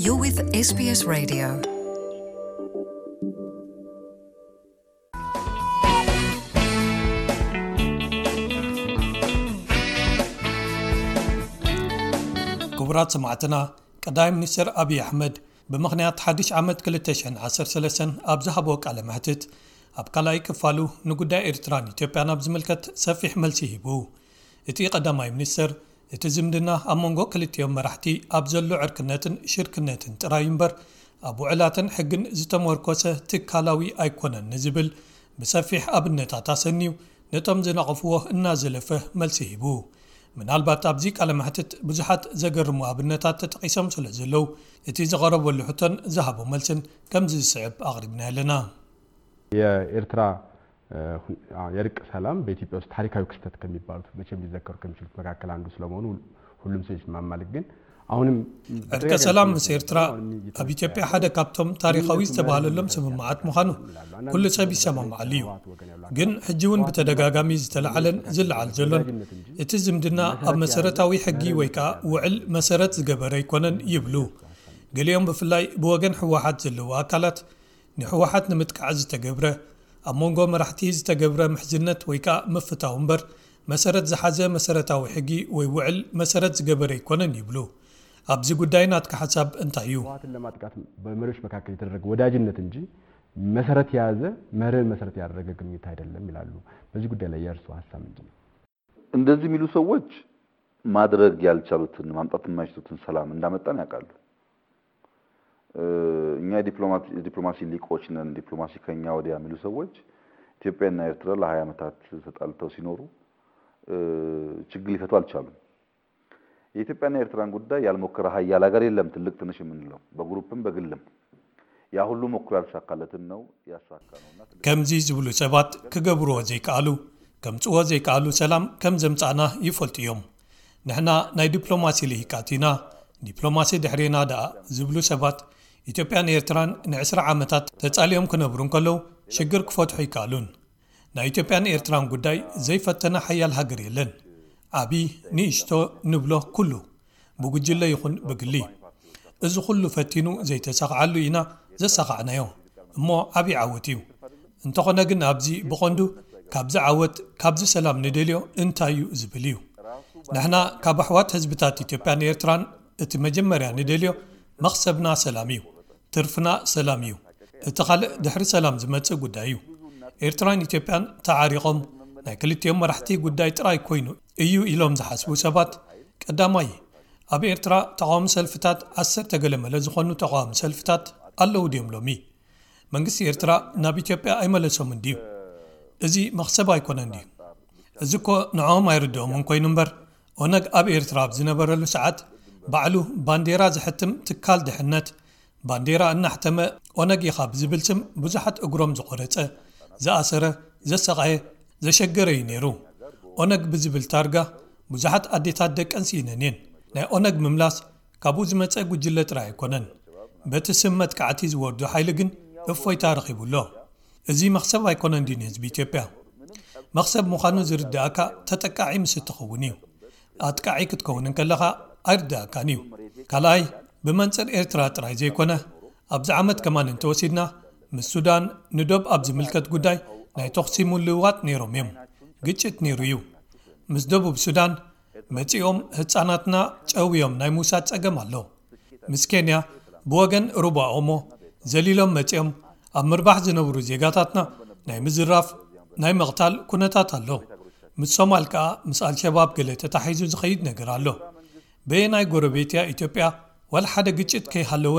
You're with S B S Radio. ክቡራት ሰማዕትና፣ ቀዳማይ ሚኒስትር ኣብይ ኣሕመድ ብምኽንያት ሓድሽ ዓመት ክልተ ሽሕን ዓሰርተ ሰለስተን ኣብ ዝሃቦ ቃለ መሕትት፣ ኣብ ካልኣይ ክፋሉ ንጉዳይ ኤርትራን ኢትዮጵያን ኣብ ዝምልከት ሰፊሕ መልሲ ሂቡ። እቲ ቀዳማይ ሚኒስትር፣ እቲ ዝምድና ኣብ መንጎ ክልቲኦም መራሕቲ ኣብ ዘሎ ዕርክነትን ሽርክነትን ጥራይ እምበር፣ ኣብ ውዕላትን ሕግን ዝተመርኮሰ ትካላዊ ኣይኮነን ንዝብል ብሰፊሕ ኣብነታት ኣሰንዩ፣ ነቶም ዝነቐፍዎ እናዘለፈ መልሲ ሂቡ። ምናልባት ኣብዚ ቃለ መሕትት ብዙሓት ዘገርሙ ኣብነታት ተጠቒሶም ስለ ዘለዉ፣ እቲ ዝቐረበሉ ሕቶን ዝሃቦ መልስን ከምዚ ዝስዕብ ኣቕሪብና ኣለና። የኤርትራ የእርቅ ሰላም በኢትዮጵያ ውስጥ ታሪካዊ ክስተት ከሚባሉት መቼም ሊዘከሩ ከሚችሉት መካከል አንዱ ስለመሆኑ ሁሉም ሰው ይስማማል። ግን አሁንም እርቀ ሰላም ምስ ኤርትራ ኣብ ኢትዮጵያ ሓደ ካብቶም ታሪካዊ ዝተባህለሎም ስምምዓት ምዃኑ ኩሉ ሰብ ይሰማማዓሉ እዩ። ግን ሕጂ እውን ብተደጋጋሚ ዝተለዓለን ዝለዓል ዘሎን እቲ ዝምድና ኣብ መሰረታዊ ሕጊ ወይ ከዓ ውዕል መሰረት ዝገበረ ኣይኮነን ይብሉ። ገሊኦም ብፍላይ ብወገን ህወሓት ዘለዉ ኣካላት ንህወሓት ንምጥቃዕ ዝተገብረ ኣብ መንጎ መራሕቲ ዝተገብረ ምሕዝነት ወይ ከዓ ምፍታው እምበር መሰረት ዝሓዘ መሰረታዊ ሕጊ ወይ ውዕል መሰረት ዝገበረ ኣይኮነን ይብሉ። ኣብዚ ጉዳይ ናትካ ሓሳብ እንታይ እዩ? ህወሓትን ለማጥቃት በመሪዎች መካከል የተደረገ ወዳጅነት እንጂ መሰረት የያዘ መርህን መሰረት ያደረገ ግንኙነት አይደለም ይላሉ። በዚህ ጉዳይ ላይ የእርስዎ ሀሳብ ምንድን ነው? እንደዚህ የሚሉ ሰዎች ማድረግ ያልቻሉትን ማምጣት የማይችሉትን ሰላም እንዳመጣን ያውቃሉ። እኛ የዲፕሎማሲ ሊቆች ነን፣ ዲፕሎማሲ ከኛ ወዲያ የሚሉ ሰዎች ኢትዮጵያና ኤርትራ ለሃያ ዓመታት ተጣልተው ሲኖሩ ችግር ሊፈቱ አልቻሉም። የኢትዮጵያና የኤርትራን ጉዳይ ያልሞከረ ሀያል ሀገር የለም፣ ትልቅ ትንሽ የምንለው በግሩፕም በግልም ያ ሁሉ ሞክሮ ያልተሳካለትን ነው ያሳካ ነውና ትልቅ ከምዚ ዝብሉ ሰባት ክገብርዎ ዘይከኣሉ፣ ከምጽዎ ዘይከኣሉ ሰላም ከም ዘምጻእና ይፈልጡ እዮም። ንሕና ናይ ዲፕሎማሲ ልሂቃት ኢና፣ ዲፕሎማሲ ድሕሬና ደኣ ዝብሉ ሰባት ኢትዮጵያን ኤርትራን ንዕስራ ዓመታት ተጻልዮም ክነብሩ እንከለዉ ሽግር ክፈትሑ ኣይከኣሉን። ናይ ኢትዮጵያን ኤርትራን ጉዳይ ዘይፈተነ ሓያል ሃገር የለን። ዓቢ ንእሽቶ ንብሎ ኩሉ ብጉጅለ ይኹን ብግሊ እዚ ኩሉ ፈቲኑ ዘይተሳኽዓሉ ኢና ዘሳኻዕናዮ እሞ ዓቢ ዓወት እዩ። እንተኾነ ግን ኣብዚ ብቐንዱ ካብዚ ዓወት ካብዚ ሰላም ንደልዮ እንታይ እዩ ዝብል እዩ። ንሕና ካብ ኣሕዋት ህዝብታት ኢትዮጵያን ኤርትራን እቲ መጀመርያ ንደልዮ መኽሰብና ሰላም እዩ። ትርፍና ሰላም እዩ። እቲ ካልእ ድሕሪ ሰላም ዝመጽእ ጉዳይ እዩ። ኤርትራን ኢትዮጵያን ተዓሪቖም ናይ ክልቲኦም መራሕቲ ጉዳይ ጥራይ ኮይኑ እዩ ኢሎም ዝሓስቡ ሰባት ቀዳማይ ኣብ ኤርትራ ተቓዋሚ ሰልፍታት ዓሰርተ ገለ መለ ዝኾኑ ተቓዋሚ ሰልፍታት ኣለዉ ድዮም ሎሚ? መንግስቲ ኤርትራ ናብ ኢትዮጵያ ኣይመለሶምን ድዩ? እዚ መኽሰብ ኣይኮነን ድዩ? እዚ እኮ ንዕኦም ኣይርድኦምን ኮይኑ እምበር ኦነግ ኣብ ኤርትራ ኣብ ዝነበረሉ ሰዓት ባዕሉ ባንዴራ ዝሕትም ትካል ድሕነት ባንዴራ እናሕተመ ኦነግ ኢኻ ብዝብል ስም ብዙሓት እግሮም ዝቖረጸ፣ ዝኣሰረ፣ ዘሰቓየ፣ ዘሸገረ እዩ ነይሩ። ኦነግ ብዝብል ታርጋ ብዙሓት ኣዴታት ደቀን ስኢነን እየን። ናይ ኦነግ ምምላስ ካብኡ ዝመጸ ጉጅለ ጥራይ ኣይኮነን። በቲ ስም መጥቃዕቲ ዝወርዶ ሓይሊ ግን እፎይታ ረኺቡ ኣሎ። እዚ መኽሰብ ኣይኮነን ድዩ ንህዝቢ ኢትዮጵያ? መኽሰብ ምዃኑ ዝርድኣካ ተጠቃዒ ምስ እትኸውን እዩ። ኣጥቃዒ ክትከውን እንከለኻ ኣይርድኣካን እዩ። ካልኣይ ብመንጽር ኤርትራ ጥራይ ዘይኮነ ኣብዚ ዓመት ከማን እንተወሲድና ምስ ሱዳን ንዶብ ኣብ ዝምልከት ጉዳይ ናይ ተኹሲ ምልውዋጥ ነይሮም እዮም። ግጭት ነይሩ እዩ። ምስ ደቡብ ሱዳን መጺኦም ህጻናትና ጨውዮም ናይ ምውሳድ ጸገም ኣሎ። ምስ ኬንያ ብወገን ሩባ ኦሞ ዘሊሎም መጺኦም ኣብ ምርባሕ ዝነብሩ ዜጋታትና ናይ ምዝራፍ ናይ ምቕታል ኩነታት ኣሎ። ምስ ሶማል ከኣ ምስ ኣልሸባብ ገለ ተታሒዙ ዝኸይድ ነገር ኣሎ። በየናይ ጎረቤት እያ ኢትዮጵያ ዋላ ሓደ ግጭት ከይሃለወ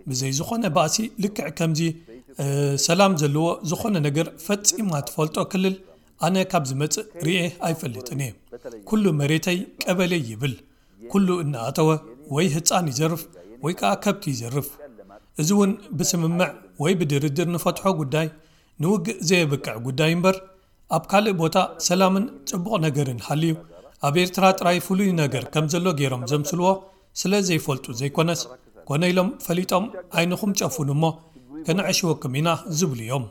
ብዘይ ዝኾነ ባእሲ ልክዕ ከምዚ ሰላም ዘለዎ ዝኾነ ነገር ፈጺማ ትፈልጦ ክልል ኣነ ካብ ዝመጽእ ርኤ ኣይፈልጥን እየ። ኩሉ መሬተይ ቀበሌ ይብል። ኩሉ እናኣተወ ወይ ህጻን ይዘርፍ ወይ ከኣ ከብቲ ይዘርፍ። እዚ እውን ብስምምዕ ወይ ብድርድር ንፈትሖ ጉዳይ ንውግእ ዘየብቅዕ ጉዳይ እምበር ኣብ ካልእ ቦታ ሰላምን ጽቡቕ ነገርን ሃልዩ ኣብ ኤርትራ ጥራይ ፍሉይ ነገር ከም ዘሎ ገይሮም ዘምስልዎ ስለ ዘይፈልጡ ዘይኮነስ ኮነ ኢሎም ፈሊጦም ዓይንኹም ጨፍኑ እሞ ከነዕሽወኩም ኢና ዝብሉ እዮም።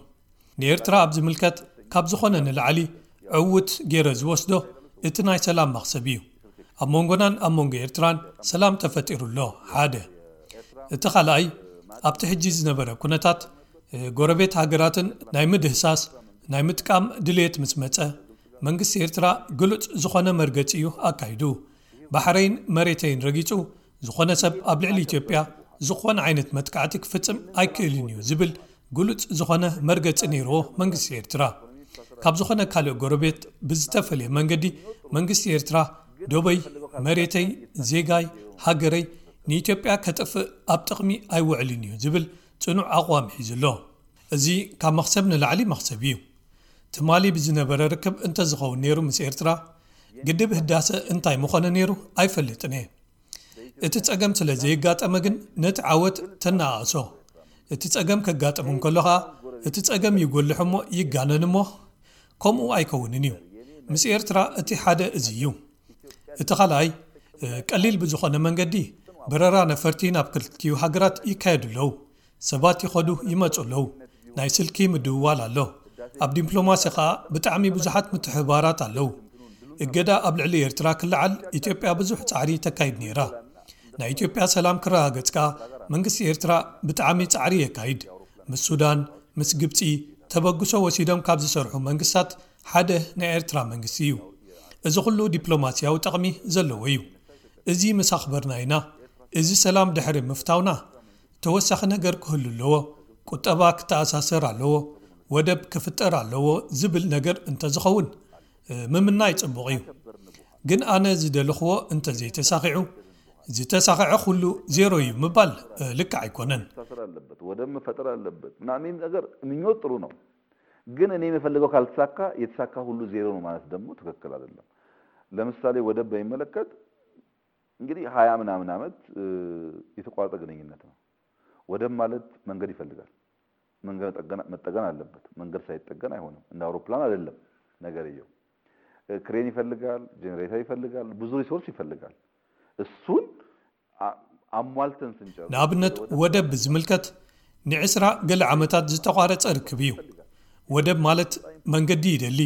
ንኤርትራ ኣብ ዝምልከት ካብ ዝኾነ ንላዕሊ ዕውት ገይረ ዝወስዶ እቲ ናይ ሰላም መኽሰብ እዩ። ኣብ መንጎናን ኣብ መንጎ ኤርትራን ሰላም ተፈጢሩ ኣሎ። ሓደ እቲ ካልኣይ፣ ኣብቲ ሕጂ ዝነበረ ኩነታት ጎረቤት ሃገራትን ናይ ምድህሳስ ናይ ምጥቃም ድልየት ምስ መጸ፣ መንግስቲ ኤርትራ ግሉጽ ዝኾነ መርገጺ እዩ ኣካይዱ። ባሕረይን መሬተይን ረጊጹ ዝኾነ ሰብ ኣብ ልዕሊ ኢትዮጵያ ዝኾነ ዓይነት መጥቃዕቲ ክፍጽም ኣይክእልን እዩ ዝብል ግሉጽ ዝኾነ መርገጺ ነይርዎ መንግስቲ ኤርትራ። ካብ ዝኾነ ካልእ ጎረቤት ብዝተፈለየ መንገዲ መንግስቲ ኤርትራ ዶበይ፣ መሬተይ፣ ዜጋይ፣ ሃገረይ ንኢትዮጵያ ከጥፍእ ኣብ ጥቕሚ ኣይውዕልን እዩ ዝብል ጽኑዕ ኣቕዋም ሒዙ ኣሎ። እዚ ካብ መኽሰብ ንላዕሊ መኽሰብ እዩ። ትማሊ ብዝነበረ ርክብ እንተዝኸውን ነይሩ ምስ ኤርትራ፣ ግድብ ህዳሰ እንታይ ምኾነ ነይሩ ኣይፈልጥን እየ። እቲ ጸገም ስለ ዘየጋጠመ ግን ነቲ ዓወት ተነኣእሶ። እቲ ጸገም ከጋጥም እንከሎ ኸኣ እቲ ጸገም ይጎልሕ እሞ ይጋነን እሞ ከምኡ ኣይከውንን እዩ። ምስ ኤርትራ እቲ ሓደ እዚ እዩ። እቲ ካልኣይ፣ ቀሊል ብዝኾነ መንገዲ በረራ ነፈርቲ ናብ ክልቲኡ ሃገራት ይካየዱ ኣለዉ። ሰባት ይኸዱ ይመጹ ኣለዉ። ናይ ስልኪ ምድውዋል ኣሎ። ኣብ ዲፕሎማሲ ኸኣ ብጣዕሚ ብዙሓት ምትሕብባራት ኣለዉ። እገዳ ኣብ ልዕሊ ኤርትራ ክለዓል ኢትዮጵያ ብዙሕ ጻዕሪ ተካይድ ነይራ። ናይ ኢትዮጵያ ሰላም ክረጋገጽ ከኣ መንግስቲ ኤርትራ ብጣዕሚ ጻዕሪ የካይድ። ምስ ሱዳን፣ ምስ ግብጺ ተበግሶ ወሲዶም ካብ ዝሰርሑ መንግስታት ሓደ ናይ ኤርትራ መንግስቲ እዩ። እዚ ኩሉ ዲፕሎማሲያዊ ጠቕሚ ዘለዎ እዩ። እዚ ምስ ኣኽበርና ኢና። እዚ ሰላም ድሕሪ ምፍታውና ተወሳኺ ነገር ክህሉ ኣለዎ። ቁጠባ ክተኣሳሰር ኣለዎ። ወደብ ክፍጠር ኣለዎ ዝብል ነገር እንተዝኸውን፣ እ፣ ምምናይ ጽቡቕ እዩ። ግን ኣነ ዝደለኽዎ እንተዘይተሳኺዑ፣ ዝተሳኸዐ ኩሉ ዜሮ እዩ ምባል፣ እ፣ ልክዕ ኣይኮነን። መተሳሰር ኣለበት፣ ወደብ መፈጠር ኣለበት ምናምን ነገር ምኞት ጥሩ ነው። ግን እኔ የምፈልገው ካልተሳካ የተሳካ ሁሉ ዜሮ ነው ማለት ደግሞ ትክክል አይደለም። ለምሳሌ ወደብ በሚመለከት እንግዲህ ሃያ ምናምን ዓመት፣ እ፣ የተቋረጠ ግንኙነት ነው። ወደብ ማለት መንገድ ይፈልጋል። መንገድ መጠገን፣ መጠገን አለበት። መንገድ ሳይጠገን አይሆንም። እንደ አውሮፕላን አይደለም ነገርየው። እ፣ ክሬን ይፈልጋል፣ ጄኔሬተር ይፈልጋል፣ ብዙ ሪሶርስ ይፈልጋል። እሱን አ-፣ አሟልተን ስንጨርስ ንኣብነት ወደብ ብዝምልከት ንዕስራ ገለ ዓመታት ዝተቋረጸ ርክብ እዩ። ወደብ ማለት መንገዲ ይደሊ።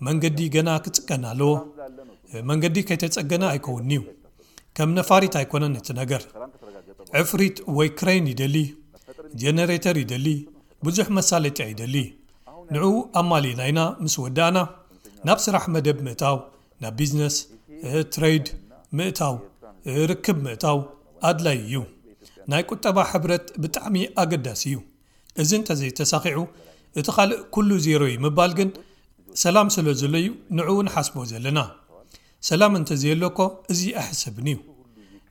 መንገዲ ገና ክጽገን ኣለዎ። መንገዲ ከይተጸገነ ኣይከውንን'ዩ። ከም ነፋሪት ኣይኮነን እቲ ነገር። ዕፍሪት ወይ ክሬን ይደሊ፣ ጀነሬተር ይደሊ፣ ብዙሕ መሳለጥያ ይደሊ። ንዕኡ ኣማሊእና ኢና ምስ ወዳእና ናብ ስራሕ መደብ ምእታው፣ ናብ ቢዝነስ፣ እ፣ ትሬድ ምእታው፣ እ፣ ርክብ ምእታው ኣድላዪ እዩ። ናይ ቁጠባ ሕብረት ብጣዕሚ ኣገዳሲ እዩ። እዚ እንተዘይተሳኺዑ፣ እቲ ካልእ ኩሉ ዜሮ እዩ ምባል ግን ሰላም ስለ ዘሎ እዩ ንዕኡ ንሓስቦ ዘለና። ሰላም እንተዘየሎ እኮ እዚ ኣይሕሰብን እዩ።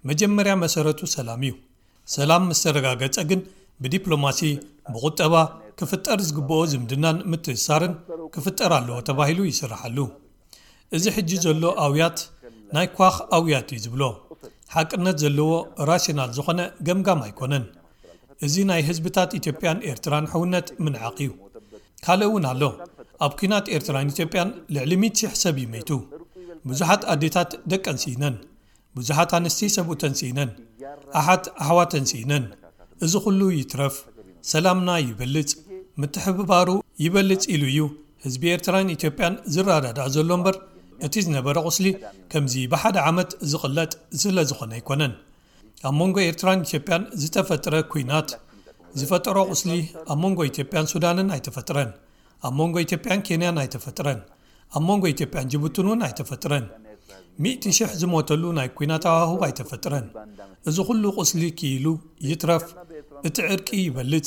መጀመርያ መሰረቱ ሰላም እዩ። ሰላም ምስ ተረጋገጸ ግን ብዲፕሎማሲ፣ ብቁጠባ ክፍጠር ዝግብኦ ዝምድናን ምትእስሳርን ክፍጠር ኣለዎ ተባሂሉ ይስርሓሉ። እዚ ሕጂ ዘሎ ኣውያት ናይ ኳኽ ኣውያት እዩ ዝብሎ። ሓቅነት ዘለዎ ራሽናል ዝኾነ ገምጋም ኣይኮነን። እዚ ናይ ህዝብታት ኢትዮጵያን ኤርትራን ሕውነት ምንዓቕ እዩ። ካልእ እውን ኣሎ። ኣብ ኲናት ኤርትራን ኢትዮጵያን ልዕሊ ሚእቲ ሺሕ ሰብ እዩ መይቱ። ብዙሓት ኣዴታት ደቀን ስኢነን። ብዙሓት ኣንስቲ ሰብኡተን ስኢነን። ኣሓት ኣሕዋተን ስኢነን። እዚ ኩሉ ይትረፍ። ሰላምና ይበልጽ፣ ምትሕብባሩ ይበልጽ ኢሉ እዩ ህዝቢ ኤርትራን ኢትዮጵያን ዝረዳዳእ ዘሎ እምበር፣ እቲ ዝነበረ ቁስሊ ከምዚ ብሓደ ዓመት ዝቕለጥ ስለ ዝኾነ ኣይኮነን። ኣብ መንጎ ኤርትራን ኢትዮጵያን ዝተፈጥረ ኲናት ዝፈጠሮ ቁስሊ ኣብ መንጎ ኢትዮጵያን ሱዳንን ኣይተፈጥረን። ኣብ መንጎ ኢትዮጵያን ኬንያን ኣይተፈጥረን። ኣብ መንጎ ኢትዮጵያን ጅቡትን እውን ኣይተፈጥረን። ሚእቲ ሽሕ ዝሞተሉ ናይ ኲናት ሃዋህው ኣይተፈጥረን። እዚ ኩሉ ቁስሊ ክኢሉ ይትረፍ፣ እቲ ዕርቂ ይበልጽ፣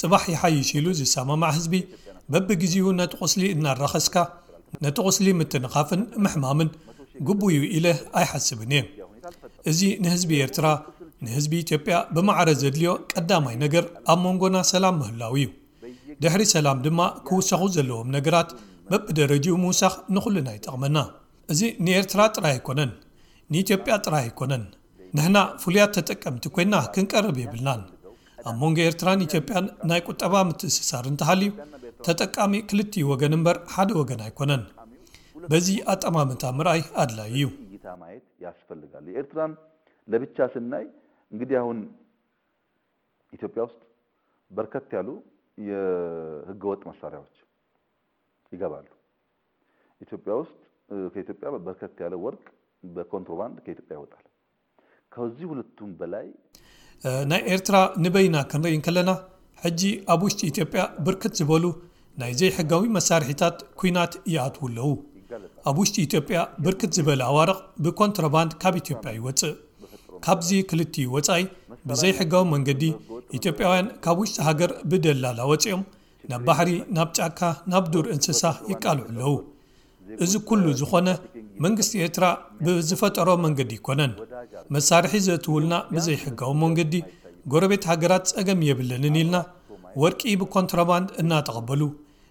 ጽባሕ ይሓይሽ ኢሉ ዝሰማማዕ ህዝቢ በብግዜኡ ነቲ ቁስሊ እናራኸስካ ነቲ ቁስሊ ምትንኻፍን ምሕማምን ግቡእ እዩ ኢለ ኣይሓስብን እየ። እዚ ንህዝቢ ኤርትራ፣ ንህዝቢ ኢትዮጵያ ብማዕረ ዘድልዮ ቀዳማይ ነገር ኣብ መንጎና ሰላም ምህላው እዩ። ድሕሪ ሰላም ድማ ክውሰኹ ዘለዎም ነገራት በብደረጅኡ ምውሳኽ ንኹልና ይጠቕመና። እዚ ንኤርትራ ጥራይ ኣይኮነን፣ ንኢትዮጵያ ጥራይ ኣይኮነን። ንሕና ፍሉያት ተጠቀምቲ ኮይና ክንቀርብ የብልናን። ኣብ መንጎ ኤርትራን ኢትዮጵያን ናይ ቁጠባ ምትእስሳር እንተሃልዩ፣ ተጠቃሚ ክልቲኡ ወገን እምበር ሓደ ወገን ኣይኮነን። በዚ ኣጠማምታ ምርኣይ ኣድላዪ እዩ። እይታ ማየት ያስፈልጋል። የኤርትራን ለብቻ ስናይ እንግዲህ አሁን ኢትዮጵያ ውስጥ በርከት ያሉ የህገወጥ መሳሪያዎች ይገባሉ። ኢትዮጵያ ውስጥ፣ እ፣ ከኢትዮጵያ በርከት ያለ ወርቅ በኮንትሮባንድ ከኢትዮጵያ ይወጣል። ከዚህ ሁለቱም በላይ ናይ ኤርትራ ንበይና ክንርኢ እንከለና፣ ሕጂ ኣብ ውሽጢ ኢትዮጵያ ብርክት ዝበሉ ናይ ዘይሕጋዊ መሳርሒታት ኲናት ይኣትዉ ኣለዉ። ኣብ ውሽጢ ኢትዮጵያ ብርክት ዝበለ ኣዋርቕ ብኮንትሮባንድ ካብ ኢትዮጵያ ይወጽእ። ካብዚ ክልቲኡ ወጻኢ፣ ብዘይሕጋዊ መንገዲ ኢትዮጵያውያን ካብ ውሽጢ ሃገር ብደላላ ወጺኦም ናብ ባሕሪ፣ ናብ ጫካ፣ ናብ ዱር እንስሳ ይቃልዑ ኣለዉ። እዚ ኩሉ ዝኾነ መንግስቲ ኤርትራ ብዝፈጠሮ መንገዲ ኣይኮነን። መሳርሒ ዘእትውልና ብዘይሕጋዊ መንገዲ ጎረቤት ሃገራት ጸገም የብለንን ኢልና ወርቂ ብኮንትሮባንድ እናተቐበሉ፣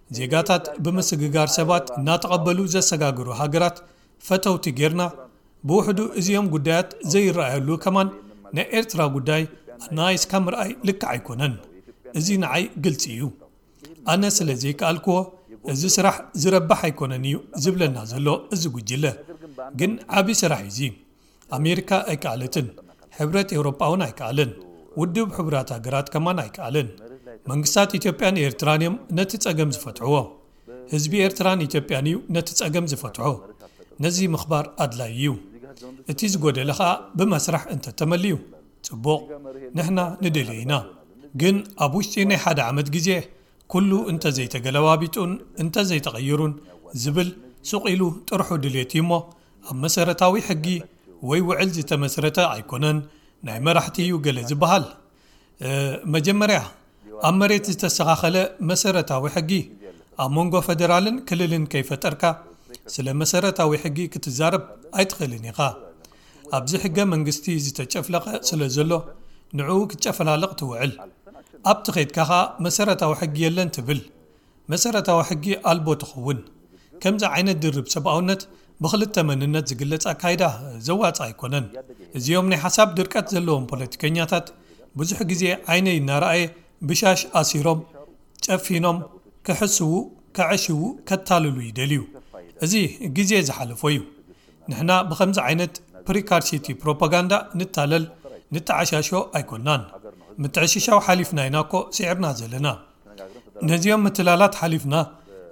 ዜጋታት ብምስግጋር ሰባት እናተቐበሉ ዘሰጋግሩ ሃገራት ፈተውቲ ጌርና፣ ብውሕዱ እዚኦም ጉዳያት ዘይረኣየሉ ከማን ናይ ኤርትራ ጉዳይ ኣናይስካ ምርኣይ ልክዕ ኣይኮነን። እዚ ንዓይ ግልጺ እዩ። ኣነ ስለ ዘይከኣልክዎ፣ እዚ ስራሕ ዝረብሕ ኣይኮነን እዩ ዝብለና ዘሎ እዚ ጉጅለ። ግን ዓቢ ስራሕ እዩ እዚ። ኣሜሪካ ኣይከኣለትን፣ ሕብረት ኤውሮጳ እውን ኣይከኣለን፣ ውድብ ሕቡራት ሃገራት ከማን ኣይከኣለን። መንግስታት ኢትዮጵያን ኤርትራን እዮም ነቲ ጸገም ዝፈትሕዎ። ህዝቢ ኤርትራን ኢትዮጵያን እዩ ነቲ ጸገም ዝፈትሖ። ነዚ ምኽባር ኣድላዪ እዩ። እቲ ዝጎደለ ኸኣ ብመስርሕ እንተተመልዩ ጽቡቕ፣ ንሕና ንደልዮ ኢና። ግን ኣብ ውሽጢ ናይ ሓደ ዓመት ግዜ ኩሉ እንተዘይተገለባቢጡን እንተዘይተቐይሩን ዝብል ሱቕ ኢሉ ጥርሑ ድሌት እዩ እሞ፣ ኣብ መሰረታዊ ሕጊ ወይ ውዕል ዝተመስረተ ኣይኮነን፣ ናይ መራሕቲ እዩ ገለ ዝበሃል። እ፣ መጀመርያ ኣብ መሬት ዝተስተኻኸለ መሰረታዊ ሕጊ ኣብ መንጎ ፈደራልን ክልልን ከይፈጠርካ ስለ መሰረታዊ ሕጊ ክትዛረብ ኣይትኽእልን ኢኻ። ኣብዚ ሕገ መንግስቲ ዝተጨፍለቐ ስለ ዘሎ ንዕኡ ክትጨፈላለቕ ትውዕል። ኣብቲ ኸይድካ ኸኣ መሰረታዊ ሕጊ የለን ትብል። መሰረታዊ ሕጊ ኣልቦ ትኸውን። ከምዚ ዓይነት ድርብ ሰብኣውነት ብኽልተ መንነት ዝግለጽ ኣካይዳ ዘዋጽእ ኣይኮነን። እዚኦም ናይ ሓሳብ ድርቀት ዘለዎም ፖለቲከኛታት ብዙሕ ግዜ ዓይነይ እናረኣየ ብሻሽ ኣሲሮም፣ ጨፊኖም፣ ክሕስዉ፣ ከዕሽዉ፣ ከታልሉ ይደልዩ። እዚ ግዜ ዝሓለፎ እዩ። ንሕና ብኸምዚ ዓይነት ፕሪካርሲቲ ፕሮፓጋንዳ ንታለል፣ ንተዓሻሾ ኣይኮናን። ምትዕሽሻው ሓሊፍና ኢና እኮ ስዒርና ዘለና። ነዚኦም ምትላላት ሓሊፍና፣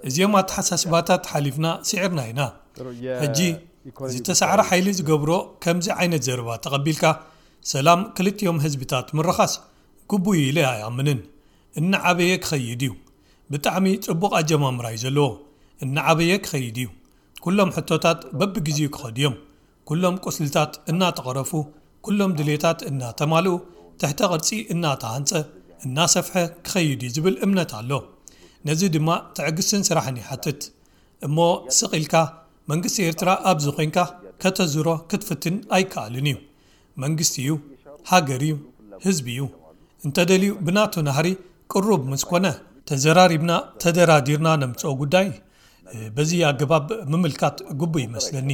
እዚኦም ኣተሓሳስባታት ሓሊፍና ስዒርና ኢና። ሕጂ ዝተሳዕረ ሓይሊ ዝገብሮ ከምዚ ዓይነት ዘረባ ተቐቢልካ፣ ሰላም ክልቲኦም ህዝብታት ምርኻስ ግቡእ እዩ ኢለ ኣይኣምንን። እናዓበየ ክኸይድ እዩ። ብጣዕሚ ጽቡቕ ኣጀማምራ እዩ ዘለዎ። እናዓበየ ክኸይድ እዩ። ኩሎም ሕቶታት በብግዜኡ ክኸዱ እዮም። ኩሎም ቁስልታት እናተቐረፉ፣ ኩሎም ድሌታት እናተማልኡ፣ ትሕተ ቅርጺ እናተሃንጸ፣ እናሰፍሐ ክኸይድ እዩ ዝብል እምነት ኣሎ። ነዚ ድማ ትዕግስትን ስራሕን ይሓትት። እሞ ስቕ ኢልካ መንግስቲ ኤርትራ ኣብዚ ኮይንካ ከተዝሮ ክትፍትን ኣይከኣልን እዩ። መንግስቲ እዩ፣ ሃገር እዩ፣ ህዝቢ እዩ። እንተደልዩ ብናቱ ናህሪ ቅሩብ ምስ ኮነ ተዘራሪብና ተደራዲርና ነምጽኦ ጉዳይ፣ እ፣ በዚ ኣገባብ ምምልካት ግቡእ ይመስለኒ።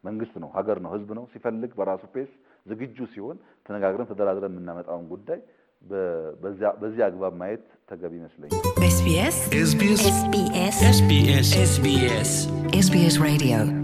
መንግስት ነው፣ ሀገር ነው፣ ህዝብ ነው። ሲፈልግ በራሱ ፔስ ዝግጁ ሲሆን ተነጋግረን ተደራድረን የምናመጣውን ጉዳይ በ-፣ በዚያ፣ በዚያ አግባብ ማየት ተገቢ ይመስለኛል። SBS SBS SBS SBS SBS Radio